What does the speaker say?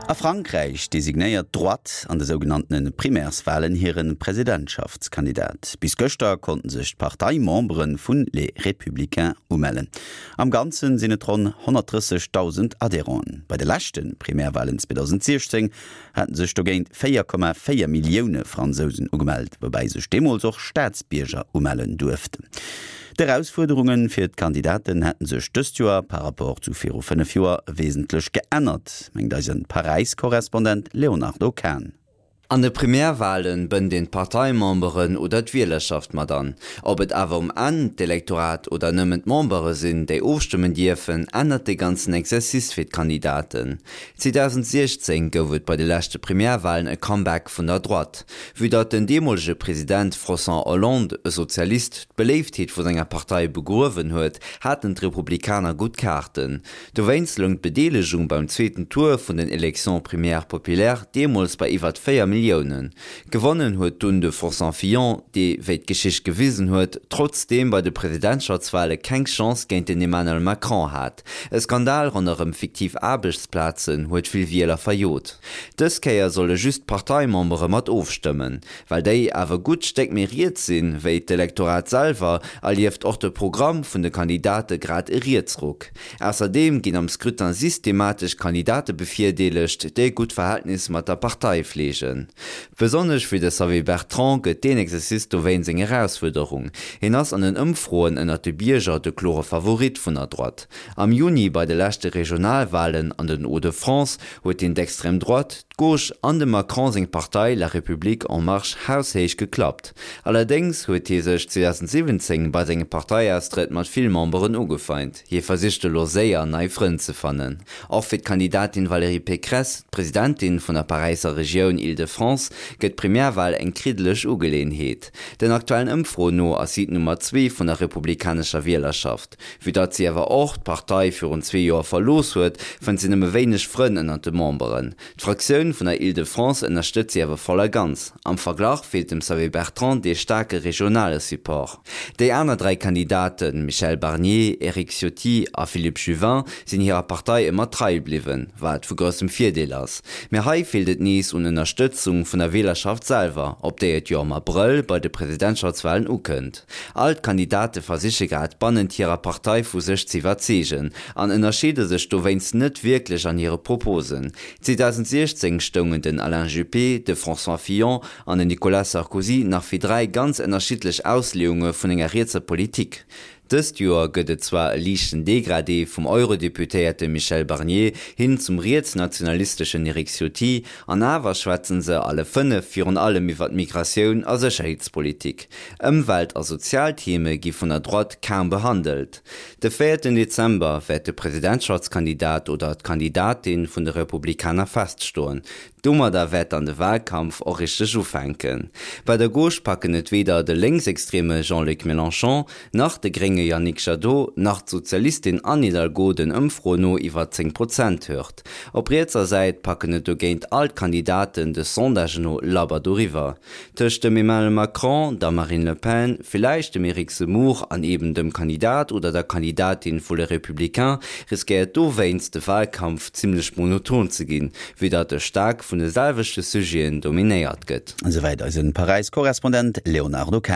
A Frankräich designéiert d'Droite an de sougenanntene Primairswalen hire Presidentschaftskandidat. Bis gëschter konnten sech d'Parteimembere vun Les Républicains umellen. Am Ganze sinn et ronn 130.000 Adhérenten. Bei de leschte Primairwalen 2016 haten sech dogéint 4,4 Millioune Fransousen ugemellt, woubäi sech deemools och Staatsbierger umellen duerften. D'Erausfuerderunge fir d'Kandidaten hätte sech dëst Joer par rapport zu viru 5 Joer wesentlech geännert, mengt eise Paräis-Korrespondent Léonardo Kahn. An de Primärwalen bënnt een d'Parteimemberen oder d'Wielerschaft mat an. Ob et awer um Enn d'Elektorat oder nëmmen d'Membere sinn, déi ofstëmmen dierfen, ännert de ganzen Exercice fir d'Kandidaten. 2016 gouf et bei de leschte Primärwalen e Comeback vun der Droite. Vue datt den deemolege President François Hollande, e Sozialist, d'Beléiftheet vu senger Partei begruewen huet, haten d'Republikaner gutt Kaarten. Dowéinst loung d'Bedeelegung beim zweeten Tour vun den Élections primaires populaires deemools bei iwwert 4 Milliounen. Gewonnen huet dunn de François Fillon, dee, wéi d'Geschicht gewisen huet, trotzdeem bei de Presidentschaftswale keng Chance géint den Emmanuel Macron hat. E Skandal ronderëm fiktiv Aarbechtsplazen huet vill Wieler verjot. Dës Kéier solle just d'Parteimembere mat ofstëmmen. Well déi awer gutt Stéck méi riets sinn, wéi d'Elektorat selwer, erlieft och de Programm vun de Kandidate grad e Rietsruck. Ausserdeem ginn am Scrutin systematesch Kandidate bevirdeelegt, déi e gutt Verhältnis mat der Partei fleegen. Besonnesch fir de Xavier Bertrand gëtt deen Exercice dowéinst eng Erausfuerderung. Hien ass an den Ëmfroen ënnert de Bierger de klore Favorit vun der Droite. Am Juni bei de leschte Regionalwalen an den Hauts-de-France huet hien d'Extrême droite, d'Gauche an dem Macron seng Partei La République en Marche haushéich geklappt. Allerdéngs huet hie sech 2017 bei sengem Parteiaustrëtt mat vill Memberen ugefeint. Hie versicht elo séier nei Frënn ze fannen. Och fir d'Kandidatin Valérie Pécresse, d'Presidentin vun der Paräisser Regioun Île-de-France, gëtt d'Primärwal eng kriddeleg Ugeleeënheet. Den aktuellen Ëmfroen no ass si d'Nummer zwee vun der republikanescher Wielerschaft. Vue datt si awer och d'Partei virun zwee Joer verlooss huet, fënnt si nëmme wéineg Frënn ënnert de Memberen. D'Fraktioun vun der Île-de-France ënnerstëtzt si awer voll a ganz. Am Verglach feelt dem Xavier Bertrand dee staarke regionale Support. Déi aner 3 Kandidaten, Michel Barnier, Eric Ciotti a Philippe Juvin, sinn hirer Partei ëmmer trei bliwwen, wat vu groussem Virdeel ass. Mee hei feelt et nees un Ënnerstëtzung vun der Wielerschaft selwer, op déi et jo am Abrëll bei de Presidentschaftswalen ukënnt. All d'Kandidate versiche grad bannent hirer Partei vu sech ze iwwerzeegen an ënnerscheede sech dowéinst net wierklech an hire Proposen. 2016 stoungen den Alain Juppé, de François Fillon an den Nicolas Sarkozy nach fir 3 ganz ënnerschiddlech Ausleeunge vun enger rietser Politik. Dëst Joer gëtt et zwar e liichten Degradé vum Eurodeputéierte Michel Barnier hin zum rietsnationalisteschen Eric Ciotti, an awer schwätzen se alle 5 virun allem iwwer d'Migratioun a Sécherheetspolitik. Ëmwelt a sozial Theme gi vun der Droite kaum behandelt. De véierten Dezember wäert de Presidentschaftskandidat oder d'Kandidatin vun de Republikaner feststoen. Domadder wäert dann de Wahlkampf och richteg ufänken. Bei der Gauche packen et weder de lénksextreme Jean-Luc Mélenchon, nach de grénge Yannick Jadot, nach d'Sozialistin Anne Hidalgo den Ëmfroen no iwwer 10 Prozent Hürd. Op rietser Säit packen et dogéint all d'Kandidaten de Sondagen no labber doriwwer. Tëscht dem Emmanuel Macron, der Marine Le Pen, villäicht dem Eric Zemmour an eben dem Kandidat oder der Kandidatin vu Les Républicains riskéiert dowéinst de Wahlkampf zimmlech monoton ze ginn, vue datt e staark vun de selwechte Sujeten dominéiert gëtt. Esouwäit eise Paräis-Korrespondent Léonardo Kahn.